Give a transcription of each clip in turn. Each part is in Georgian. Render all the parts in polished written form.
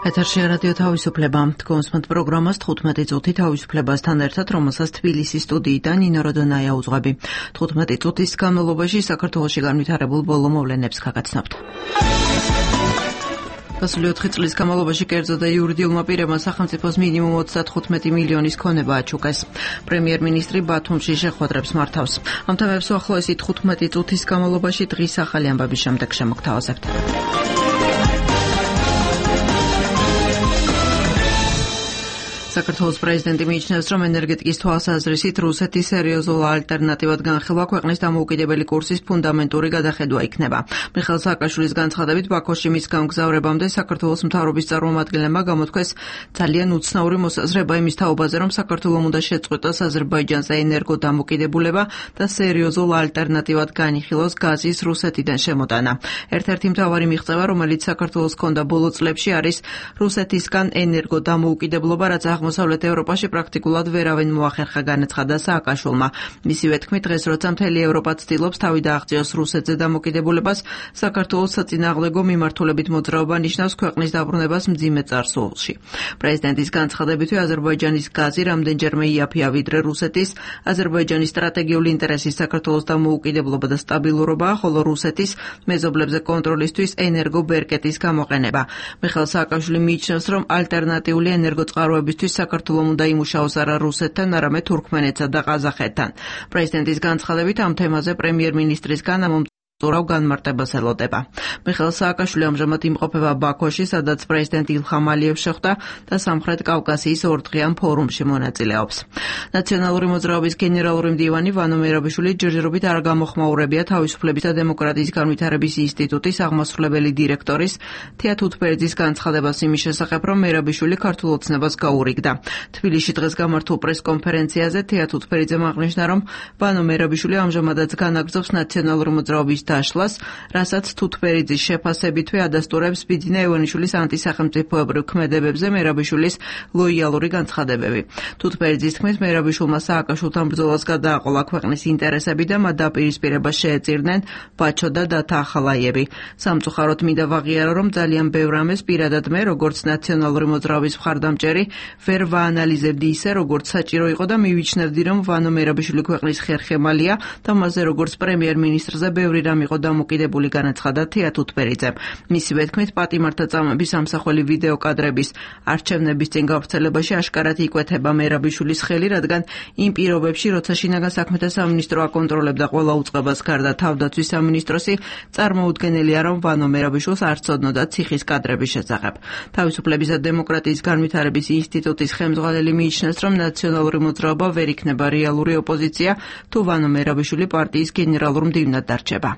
ეთერშია რადიო თავისუფლება. თქვენს პროგრამას 15 წუთი თავისუფლებასთან ერთად, რომელსაც თბილისის სტუდიიდან ნინო როდონაია უძღვები. 15 წუთის განმავლობაში საქართველოში განვითარებულ ბოლო მოვლენებს გაგაცნობთ. გასული 4 წლის განმავლობაში კერძო და იურიდიულმა პირებმა სახელმწიფოს მინიმუმ 35 მილიონის ქონება აჩუქეს. პრემიერ-მინისტრი ბათუმში შეხვედრებს მართავს. ამ თემებს უახლოესი 15 წუთის განმავლობაში დღის ახალი ამბების შემდეგ შემოგთავაზებთ. საქართველოს პრეზიდენტი მიიჩნევს, რომ ენერგეტიკის თვალსაზრისით რუსეთი სერიოზულ ალტერნატივად განხილვა ქვეყნის დამოუკიდებელი კურსის ფუნდამენტური გადახედვა იქნება. მიხეილ სააკაშვილის განცხადებით, ბაქოში მის გამგზავრებამდე საქართველოს მთავრობის წარმომადგენლებმა გამოთქვეს ძალიან უცნაური მოსაზრება იმის თაობაზე, რომ საქართველომ უნდა შეწყვეტოს აზერბაიჯანზე ენერგო დამოკიდებულება და სერიოზულ ალტერნატივად განიხილოს გაზის რუსეთიდან შემოტანა. ერთ-ერთი მთავარი მიღწევა, რომელიც საქართველოს ჰქონდა ბოლო წლებში, არის რუსეთისგან ენერგო დამოუკიდებლობა, რაც აღმოსავლეთ ევროპაში პრაქტიკულად ვერავინ მოახერხა, განაცხადა სააკაშვილმა. მისივე თქმით, დღეს როცა მთელი ევროპა ცდილობს თავი დააღწიოს რუსეთზე დამოკიდებულებას, საქართველოს საწინააღმდეგო მიმართულებით მოძრაობა ნიშნავს ქვეყნის დაბრუნებას მძიმე წარსულში. პრეზიდენტის განცხადებითვე აზერბაიჯანის გაზი რამდენჯერმე იაფია ვიდრე რუსეთის. აზერბაიჯანის სტრატეგიული ინტერესი საქართველოს დამოუკიდებლობა და სტაბილურობაა, ხოლო რუსეთის მეზობლებზე კონტროლისთვის ენერგო ბერკეტის გამოყენება. მიხეილ სააკაშვილი მიიჩნევს, რომ ალტერნატიული ენერგოწყაროებისთვის საქართველოს უნდა იმუშაოს არა რუსეთთან, არამედ თურქმენეთსა და ყაზახეთთან. პრეზიდენტის განცხადებით ამ თემაზე პრემიერ-მინისტრისგან ურავ განმარტებას ელოდება. მიხეილ სააკაშვილი ამჟამად იმყოფება ბაქოში, სადაც პრეზიდენტ ილჰამ ალიევს შეხვდა და სამხრეთ კავკასიის ორდღიან ფორუმში მონაწილეობს. ნაციონალური მოძრაობის გენერალური მდივანი ვანო მერაბიშვილი ჯერჯერობით არ გამოხმაურებია თავისუფლების და დემოკრატიის განვითარების ინსტიტუტის აღმასრულებელი დირექტორის თეა თუთბერიძის განცხადებას იმის შესახებ, რომ მერაბიშვილი ქართულ ოცნებას გაურიგდა. თბილისში დღეს გამართულ პრესკონფერენციაზე თეა თუთბერიძემ აღნიშნა, რომ ვანო მერაბიშვილი ამჟამადაც განაგრძობს ნაციონალური მოძრაობის დაშლას, რასაც თუთბერიძის შეფასებითვე ადასტურებს ბიძინა ევანიშვილის ანტისახელმწიფოებრივ ქმედებებზე მერაბიშვილის ლოიალური განცხადებები. თუთბერიძის თქმით, მერაბიშვილმა სააკაშვილთან ბრძოლას გადააყოლა ქვეყნის ინტერესები და მათ დაპირისპირება შეეწირნენ ბაჩო და დათა ახალაიევი. სამწუხაროდ მინდა ვაღიარო, რომ ძალიან ბევრ რამეს პირადად მე, როგორც ნაციონალური მოძრაობის მხარდამჭერი, ვერ ვაანალიზებდი ისე, როგორც საჭირო იყო და მივიჩნევდი, რომ ვანო მერაბიშვილი ქვეყნის ხერხემალია და მასზე როგორც პრემიერ-მინისტრზე ბევრი იყო დამოკიდებული, განაცხადა თეა თუთბერიძემ. მისივე თქმით, პატიმართა წამების ამსახველი ვიდეო კადრების არჩევნების წინ გავრცელებაში აშკარად იკვეთება მერაბიშვილის ხელი, რადგან იმ პირობებში, როცა შინაგან საქმეთა სამინისტრო აკონტროლებდა ყველა უწყებას გარდა თავდაცვის სამინისტროსი, წარმოუდგენელია, რომ ვანო მერაბიშვილს არ ცოდნოდა ციხის კადრების შესახებ. თავისუფლების და დემოკრატიის განვითარების ინსტიტუტის ხელმძღვანელი მიიჩნევს, რომ ნაციონალური მოძრაობა ვერ იქნება რეალური ოპოზიცია, თუ ვანო მერაბიშვილი პარტიის გენერალურ მდივნად დარჩება.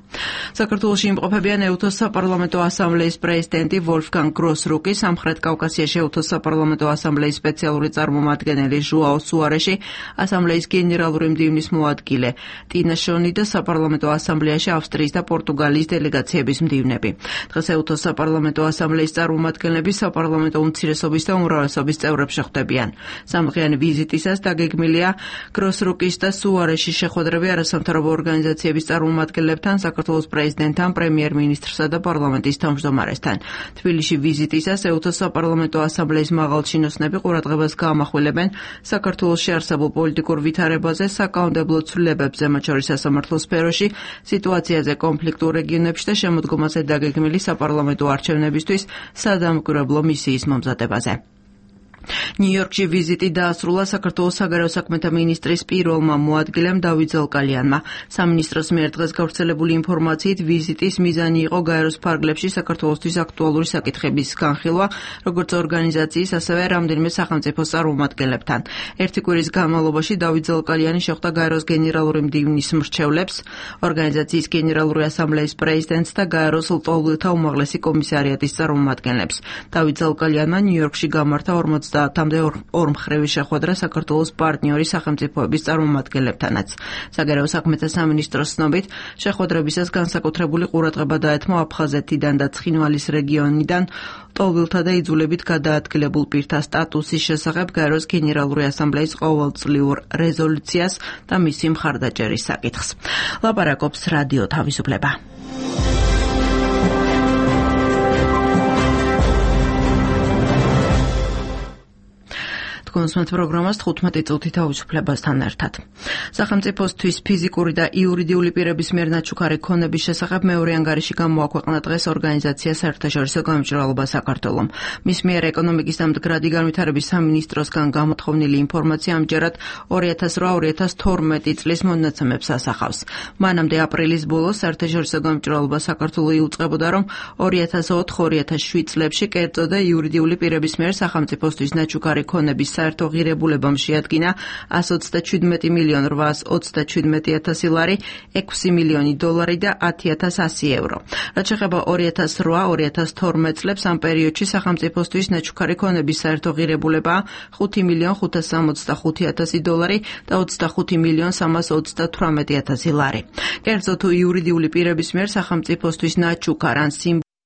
საქართველოში იმყოფებიან ეუთოს საპარლამენტო ასამბლეის პრეზიდენტი ვოლფგანგ გროსრუკი, სამხრეთ კავკასიაში ეუთოს საპარლამენტო ასამბლეის სპეციალური წარმომადგენელი ჟუაო სუარეში, ასამბლეის გენერალური მდივნის მოადგილე ტინა შონი და საპარლამენტო ასამბლეაში ავსტრიის და პორტუგალიის დელეგაციების მდივნები. დღეს ეუთოს საპარლამენტო ასამბლეის წარმომადგენლები საპარლამენტო უმცირესობის და უმრავლესობის წევრებს შეხვდებიან. სამდღიანი ვიზიტისას დაგეგმილია გროსრუკის და სუარეში შეხვედრები არასამთავრობო ორგანიზაციების წარმომადგენლებთან, საქართველოს პრეზიდენტთან, პრემიერ-მინისტრსა და პარლამენტის თავმჯდომარესთან. თბილისში ვიზიტისას ეუთოს საპარლამენტო ასამბლეის მაღალჩინოსნები ყურადღებას გაამახვილებენ საქართველოში არსებულ პოლიტიკურ ვითარებაზე, საკანონმდებლო ცვლილებებზე, მათ შორის სასამართლო სფეროში, სიტუაციაზე კონფლიქტურ რეგიონებში და შემოდგომაზე დაგეგმილი საპარლამენტო არჩევნებისთვის სადამკვირვებლო მისიის მომზადებაზე. ნიუ-იორკში ვიზიტი დაასრულა საქართველოს საგარეო საქმეთა მინისტრის პირველმა მოადგილემ დავით ზალკალიანმა. სამინისტროს მიერ დღეს გავრცელებული ინფორმაციით ვიზიტის მიზანი იყო გაეროს ფარგლებში საქართველოსთვის აქტუალური საკითხების განხილვა, როგორც ორგანიზაციის, ასევე რამდენიმე სახელმწიფოს წარმომადგენლებთან. ერთი კვირის განმავლობაში დავით ზალკალიანი შეხვდა გაეროს გენერალური მდივნის მრჩევლებს, ორგანიზაციის გენერალური ასამბლეის პრეზიდენტს და გაეროს ლტოლვილთა უმაღლესი კომისარიატის წარმომადგენლებს. დავით ზალკალიანმა ნიუ-იორკში გამართა 50-მდე ორმხრივი შეხვედრა საქართველოს პარტნიორი სახელმწიფოების წარმომადგენლებთანაც. საგარეო საქმეთა სამინისტროს ცნობით, შეხვედრებისას განსაკუთრებული ყურადღება დაეთმო აფხაზეთიდან და ცხინვალის რეგიონიდან ლტოლვილთა და იძულებით გადაადგილებულ პირთა სტატუსის შესახებ გაეროს გენერალური ასამბლეის ყოველწლიურ რეზოლუციას და მისი მხარდაჭერის საკითხს. ლაპარაკობს რადიო თავისუფლება. თქვენს პროგრამას 15 წუთი თავისუფლებასთან ერთად. სახელმწიფოსთვის ფიზიკური და იურიდიული პირების მიერ ნაჩუქარი ქონების შესახებ მეორე ანგარიში გამოაქვეყნა დღეს ორგანიზაცია საერთაშორისო გამჭვირვალობა საქართველომ. მის მიერ ეკონომიკის და მდგრადი განვითარების სამინისტროსგან გამოთხოვნილი ინფორმაცია ამჯერად 2008-2012 წლის მონაცემებს ასახავს. მანამდე აპრილის ბოლოს საერთაშორისო გამჭვირვალობა საქართველო იუწყებოდა, რომ 2004-2007 წლებში კერძო და იურიდიული პირების მიერ სახელმწიფოსთვის ნაჩუქარი ქონების საერთო ღირებულებამ შეადგინა 127,827,000 ლარი, 6 მილიონი დოლარი და 10,100 ევრო. რაც შეეხება 2008-2012 წლებს, ამ პერიოდში სახელმწიფოსთვის ნაჩუქარი ქონების საერთო ღირებულებაა 5,565,000 დოლარი და 25,328,000 ლარი. კერძო თუ იურიდიული პირების მიერ სახელმწიფოსთვის ნაჩუქარ ან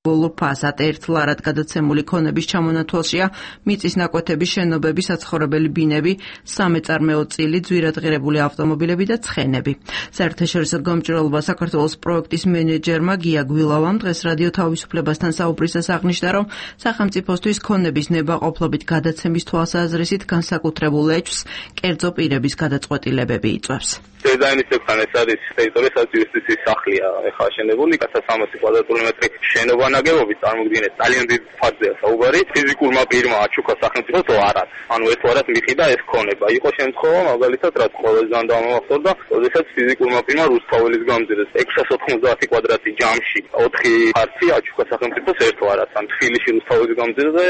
ბოლო ფასად 1 ლარად გადაცემული ქონების ჩამონათვალშია მიწის ნაკვეთები, შენობები, საცხოვრებელი ბინები, სამეწარმეო წილი, ძვირადღირებული ავტომობილები და ცხენები. საერთაშორისო გამჭვირვალობა საქართველოს პროექტის მენეჯერმა გია გვილავამ დღეს რადიო თავისუფლებასთან საუბრისას აღნიშნა, რომ სახელმწიფოსთვის ქონების ნებაყოფლობით გადაცემის თვალსაზრისით განსაკუთრებულ ეჭვს კერძო პირების გადაწყვეტილებები იწვევს. დიზაინისებთან ეს არის ტერიტორია, სადაც იუსტიციის სახლია ახლა აშენებული, 300 კვადრატული მეტრი შენობა ნაგებობით წარმოგიდგენთ, ძალიან დიდ ფართია საუბარი. ფიზიკურმა პირმა აჩუქა სახელმწიფოს არად. ანუ ეს არად მიხიდა ეს ქონება. იყო შემთხვევა, მაგალითად, რაც ყოველდღიურად დამახსოვდა, როდესაც ფიზიკურმა პირმა რუსთაველის გამზირეს 690 კვადრატი ჯამში 4 ფართი აჩუქა სახელმწიფოს ერთვარად. ან თბილისში რუსთაველის გამზირზე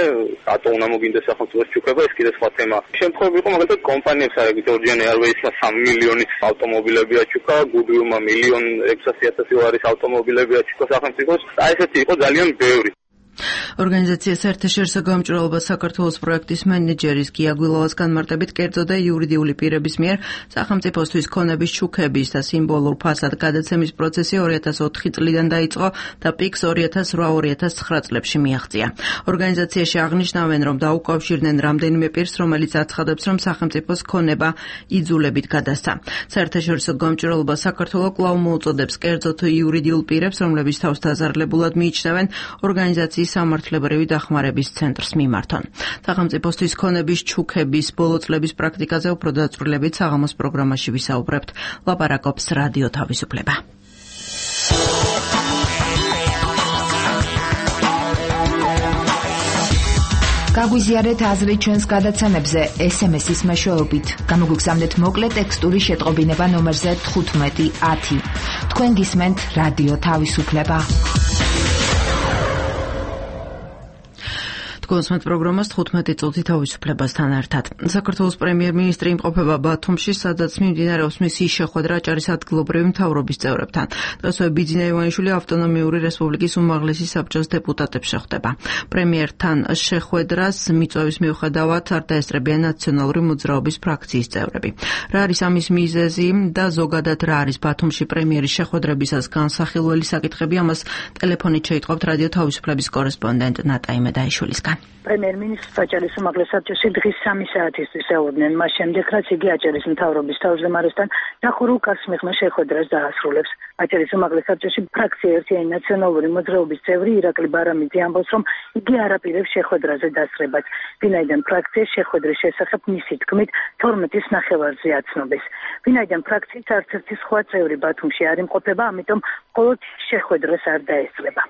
რატო უნდა მოგინდეს სახელმწიფოს ჩუქება, ეს კიდე სხვა თემა. შემთხვევები იყო მაგალითად კომპანიებს არეგით ორჯენ ეარვეისმა 3 მილიონის ავტომობილები აჩუქა, გუდვილმა 1,600,000 ლარის ავტომობილები აჩუქა სახელმწიფოს. აი ესეთი იყო ძალიან ბევრი. ორგანიზაცია საერთაშორისო გამჭვირვალობა საქართველოს პროექტის მენეჯერის გია გვილავას განმარტებით, კერძო და იურიდიული პირების მიერ სახელმწიფოსთვის ქონების ჩუქების და სიმბოლურ ფასად გადაცემის პროცესი 2004 წლიდან დაიწყო და პიკს 2008-2009 წლებში მიაღწია. ორგანიზაციაში აღნიშნავენ, რომ დაუკავშირდნენ რამდენიმე პირს, რომელიც აცხადებს, რომ სახელმწიფოს ქონება იძულებით გადასცა. საერთაშორისო გამჭვირვალობა საქართველოს კვლავ მოუწოდებს კერძო თუ იურიდიულ პირებს, რომლებიც თავს დაზარალებულად მიიჩნევენ, ორგანიზაციის სამართლებრივი დახმარების ცენტრს მიმართონ. სახელმწიფოსთვის ქონების ჩუქების ბოლო წლების პრაქტიკაზე უფრო დაწვრილებით საღამოს პროგრამაში ვისაუბრებთ. ლაპარაკობს რადიო თავისუფლება. გაგვიზიარეთ აზრი ჩვენს გადაცემებზე SMS-ის მეშვეობით. გამოგვიგზავნეთ მოკლე ტექსტური შეტყობინება ნომერზე 1510. თქვენ გისმენთ რადიო თავისუფლება. გონსმენთ პროგრამას 15 წუთი თავისუფლებასთან ერთად. საქართველოს პრემიერ-მინისტრი იმყოფება ბათუმში, სადაც მიმდინარეობს მისი შეხვედრა აჭარის ადგილობრივი მთავრობის წევრებთან. დღესვე ბიძინა ივანიშვილი ავტონომიური რესპუბლიკის უმაღლესი საბჭოს დეპუტატებს შეხვდება. პრემიერთან შეხვედრას მიწვევის მიუხედავად არ დაესწრებიან ნაციონალური მოძრაობის ფრაქციის წევრები. რა არის ამის მიზეზი და ზოგადად რა არის ბათუმში პრემიერის შეხვედრებისას განსახილველი საკითხები, ამას ტელეფონით შეიტყობთ რადიო თავისუფლების კორესპონდენტ ნატა იმედაიშვილისგან. პრემიერ-მინისტრს აჭარის უმაღლეს საბჭოში დღის 3 საათისთვის ეუბნენ, მას შემდეგ რაც იგი აჭარის მთავრობის თავმჯდომარესთან დახურულ კაცს მიღმა შეხვედრას დაასრულებს. აჭარის უმაღლეს საბჭოში ფრაქცია ერთიანი ნაციონალური მოძრაობის წევრი ირაკლი ბარამიძე ამბობს, რომ იგი არ აპირებს შეხვედრაზე დასწრებას, ვინაიდან ფრაქცია შეხვედრის შესახებ მისი თქმით 12-ის ნახევარზე აცნობეს. ვინაიდან ფრაქციის არც ერთი სხვა წევრი ბათუმში არ იმყოფება, ამიტომ მხოლოდ შეხვედრას არ დაესწრება.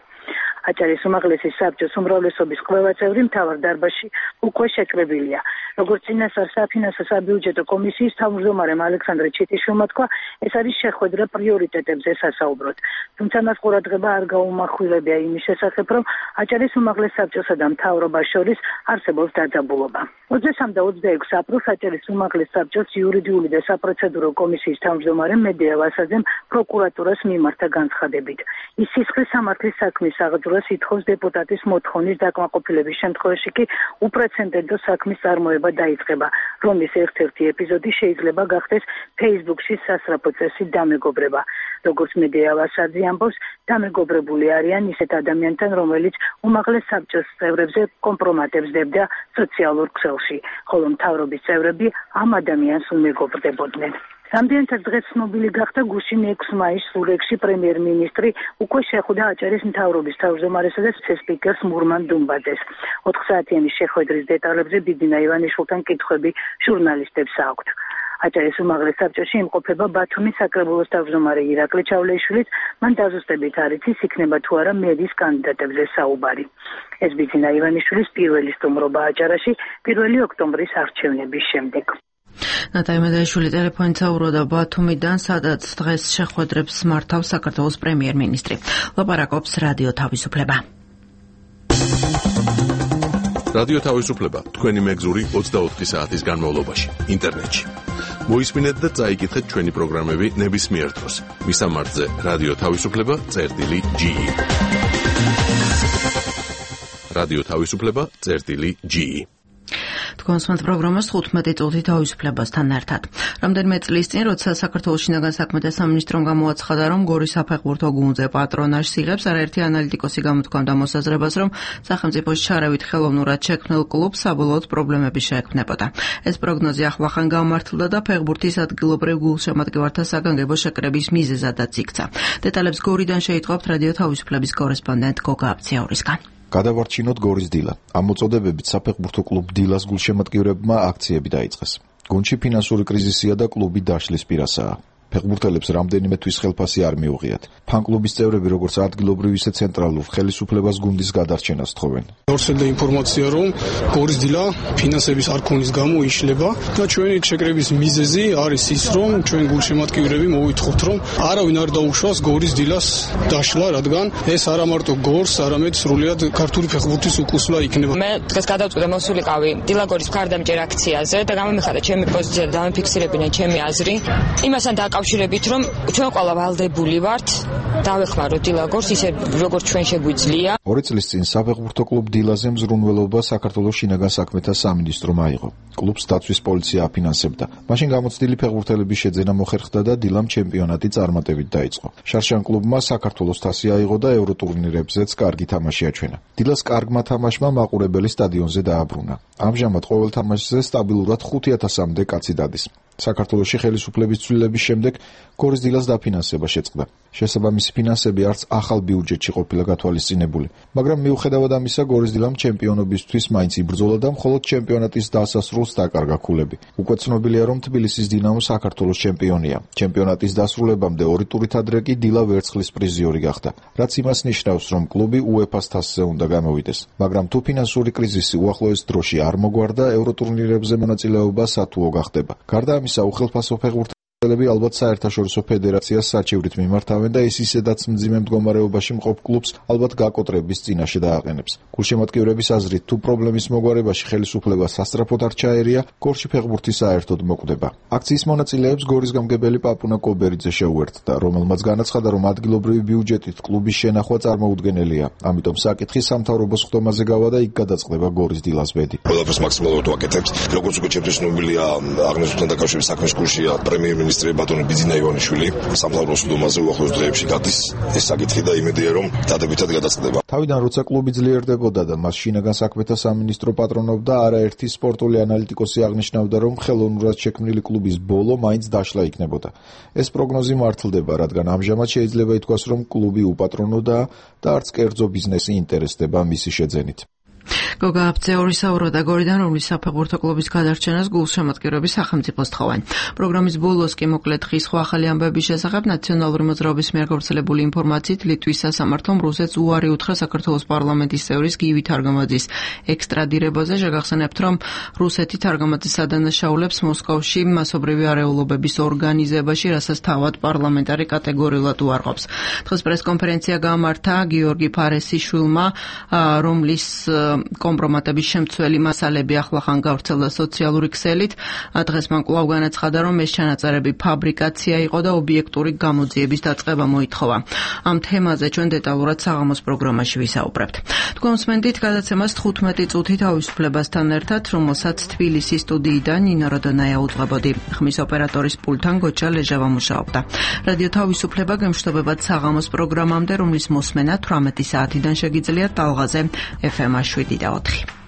აჭარის უმაღლესი საბჭოს უმრავლესობის ყველა წევრი მთავარ დარბაზში უკვე შეკრებილია. როგორც წინასწარ საფინანსო საბიუჯეტო კომისიის თავმჯდომარემ ალექსანდრე ჩიტიშვილმა თქვა, ეს არის შეხვედრა პრიორიტეტებზე სასაუბროდ. თუმცა მას ყურადღება არ გაუმახვილებია იმის შესახებ, რომ აჭარის უმაღლეს საბჭოსა და მთავრობას შორის არსებობს დაძაბულობა. 23 და 26 აპრილს აჭარის უმაღლეს საბჭოს იურიდიული და საპროცედურო კომისიის თავმჯდომარემ მედია ვასაძემ პროკურატურას მიმართა განცხადებით. ის სისხლის სამართლის საქმის აღძვრას ითხოვს დეპუტატის მოთხოვნის დაკმაყოფილების შემთხვევაში კი უპრეცედენტო საქმის წარმოება დაიწყება, რომლის ერთ-ერთი ეპიზოდი შეიძლება გახდეს Facebook-ში სასწრაფო წესით დამეგობრება. როგორც მედია ვასაძე ამბობს, დამეგობრებული არიან ისეთ ადამიანთან, რომელიც უმაღლეს საბჭოს წევრებზე კომპრომატებს დებდა სოციალურ ქსელში, ხოლო მთავრობის წევრები ამ ადამიანს უმეგობრდებოდნენ. რამდენადაც დღეს ცნობილი გახდა გუშინ 6 მაისს სურეკში პრემიერ-მინისტრი უკვე შეხვდა აჭარის მთავრობის თავმჯდომარესა და სპიკერს მურმან დუმბაძეს. 4 საათიანი შეხვედრის დეტალებზე ბიძინა ივანიშვილთან კითხვები ჟურნალისტებს აქვთ. აჭარის უმაღლეს საბჭოში იმყოფება ბათუმის საკრებულოს თავმჯდომარე ირაკლი ჩავლეიშვილიც, მან დაზუსტებით არ იცის იქნება თუ არა მერის კანდიდატებზე საუბარი. ეს ბიძინა ივანიშვილის პირველი სტუმრობა აჭარაში 1 ოქტომბრის არჩევნების შემდეგ. ნატალია მედაიშვილი ტელეფონით საუბრობდა ბათუმიდან, სადაც დღეს შეხვედრებს მართავს საქართველოს პრემიერ-მინისტრი. ლაპარაკობს რადიო თავისუფლება. რადიო თავისუფლება თქვენი მეგზური 24 საათის განმავლობაში ინტერნეტში. მოისმინეთ და წაიკითხეთ ჩვენი პროგრამები ნებისმიერ დროს. მისამართზე რადიო თავისუფლება.ge. რადიო თავისუფლება.ge. თქვენს პროგრამას 15 წუთი თავისუფლებასთან ერთად. რამდენიმე წლის წინ, როცა საქართველოს შინაგან საქმეთა სამინისტრომ გამოაცხადა, რომ გორის საფეხბურთო გუნდზე პატრონაჟს იღებს, არაერთი ანალიტიკოსი გამოთქვამდა მოსაზრებას, რომ სახელმწიფოს ჩარავით ხელოვნურად შექმნილ კლუბს საბოლოოდ პრობლემები შეექმნებოდა. ეს პროგნოზი ახლახან გამართლდა და ფეხბურთის ადგილობრივ გულშემატკივართა საგანგებო შეკრების მიზეზადაც იქცა. დეტალებს გორიდან შეიტყობთ რადიო თავისუფლების კორესპონდენტ გოგა აბციაურისგან. გადავარჩინოთ გორის დილა. ამ მოწოდებებით საფეხბურთო კლუბ დილას გულშემატკივრებმა აქციები დაიწყეს. გუნდში ფინანსური კრიზისია და კლუბი დაშლის პირასაა. ფეხბურთელებს რამდენიმე თვის ხელფასი არ მიუღიათ. ფან-კლუბის წევრები როგორც ადგილობრივ ისე ცენტრალურ ხელისუფლებას გუნდის გადარჩენას თხოვენ. გავრცელდა ინფორმაცია, რომ გორის დილა ფინანსების არ ქონის გამო იშლება და ჩვენი შეკრების მიზეზი არის ის, რომ ჩვენ გულშემატკივრები მოვითხოვთ, რომ არავინ არ დაუშვას გორის დილას დაშლა, რადგან ეს არა მარტო გორს, არამედ სრულიად ქართული ფეხბურთის უკუსვლა იქნება. მე დღეს გადავწყვიტე მოსულიყავი დილაგორის მხარდამჭერ აქციაზე და გამომიხადა ჩემი პოზიცია და დამიფიქსირებინა ჩემი აზრი. იმასთან კავშირებით რომ ჩვენ ყველა ვალდებული ვართ დავეხმაროთ დილაგორს ისე როგორც ჩვენ შეგვიძლია. 2 წლის წინ საფეხბურთო კლუბ დილაზე მზრუნველობა საქართველოს შინაგან საქმეთა სამინისტრომ აიღო. კლუბს დაცვის პოლიცია აფინანსებდა. მაშინ გამოცდილი ფეხბურთელების შეძენა მოხერხდა და დილამ ჩემპიონატი წარმატებით დაიწყო. შარშან კლუბმა საქართველოს თასი აიღო და ევროტურნირებზეც კარგი თამაში აჩვენა. დილას კარგმა თამაშმა მაყურებელი სტადიონზე დააბრუნა. ამჟამად ყოველ თამაშზე სტაბილურად 5000-მდე კაცი დადის. საქართველოში ხელისუფლების ცვლილების შემდეგ გორის დილას დაფინანსება შეწყდა. შესაბამისი ფინანსები არც ახალ ბიუჯეტში ყოფილა გათვალისწინებული, მაგრამ მიუხედავად ამისა გორის დილამ ჩემპიონობისთვის მაინც იბრძოლა და მხოლოდ ჩემპიონატის დასასრულს დაკარგა ქულები. უკვე ცნობილია, რომ თბილისის დინამო საქართველოს ჩემპიონია. ჩემპიონატის დასრულებამდე 2 ტურით ადრე კი დილა ვერცხლის პრიზიორი გახდა, რაც იმას ნიშნავს, რომ კლუბი UEFA-ს თასზე უნდა გამოვიდეს. მაგრამ თუ ფინანსური კრიზისი უახლოეს დროში არ მოგვარდა, ევროტურნირებზე მონაწილეობა სათუო გახდება. გარდა ამისა, უხელფასო ფეხბურთელები ალბათ საერთაშორისო ფედერაციას საჩივრით მიმართავენ და ის ისედაც მძიმე მდგომარეობაში მყოფ კლუბს ალბათ გაკოტრების წინაშე დააყენებს. გულშემატკივრების აზრით, თუ პრობლემის მოგვარებაში ხელისუფლება სასწრაფოდ არ ჩაერია, გორში ფეხბურთი საერთოდ მოკვდება. აქციის მონაწილეებს გორის გამგებელი პაპუნა კობერიძე შეუერთდა, რომელმაც განაცხადა, რომ ადგილობრივი ბიუჯეტით კლუბის შენახვა წარმოუდგენელია. ამიტომ საკითხი სამთავრობოს ხდომაზე გავა და იქ გადაწყდება გორის დილას ბედი. ყველაფერს მაქსიმალურად ვაკეთებთ. როგორც უკვე ჩემთვის ცნობილია, აღნიშნულთან დაკავშირებით საქმის კურსია პრემიერ-მინისტრი ბატონი ბიძინა ივანიშვილი სამთავრობოს ხდომაზე უახლოეს დღეებში გადის. ეს საკითხი და იმედია, რომ დადებითად გადაწყდება. თავიდან როცა კლუბი ძლიერდებოდა და მას შინაგან საქმეთა სამინისტრო პატრონობდა, არაერთი სპორტული ანალიტიკოსი აღნიშნავდა, რომ ხელოვნურად შექმნილი კლუბის ბოლო მაინც დაშლა იქნებოდა. ეს პროგნოზი მართლდება, რადგან ამჟამად შეიძლება ითქვას, რომ კლუბი უპატრონოდაა და არც კერძო ბიზნესი ინტერესდება მისი შეძენით. გოგა აბციაური საუბრობდა გორიდან, რომლის საფეხბურთო კლუბის გადარჩენას გულშემატკივრების სახელმწიფოს თხოვენ. პროგრამის ბოლოს კი მოკლედ ხის სხვა ახალი ამბების შესახებ ნაციონალური მოძრაობის მიერ გავრცელებული ინფორმაციით ლიტვის სასამართლომ რუსეთს უარი უთხრა საქართველოს პარლამენტის წევრის გივი თარგამაძის ექსტრადირებაზე. შეგახსენებთ, რომ რუსეთი თარგამაძის ადანაშაულებს მოსკოვში მასობრივი არეულობების ორგანიზებაში, რასაც თავად პარლამენტარი კატეგორიულად უარყოფს. დღეს პრესკონფერენცია გამართა გიორგი ფარესიშვილმა, რომლის კომპრომატების შემცველი მასალები ახლახან გავრცელდა სოციალური ქსელით. დღეს მან კვლავ განაცხადა, რომ ეს ჩანაწერები ფაბრიკაცია იყო და ობიექტური გამოძიების დაწყება მოითხოვა. ამ თემაზე ჩვენ დეტალურად საღამოს პროგრამაში ვისაუბრებთ. თქვენ მსმენთ გადაცემას 15 წუთი თავისუფლებასთან ერთად, რომელსაც თბილისის სტუდიიდან ნინო როდონაია უძღვებოდი. ხმის ოპერატორის პულტთან გოჩა ლეჟავა მუშაობდა. რადიო თავისუფლება გემშვიდობებად საღამოს პროგრამამდე, რომლის მოსმენა 18 საათიდან შეგიძლიათ ტალღაზე FM 7 და 4.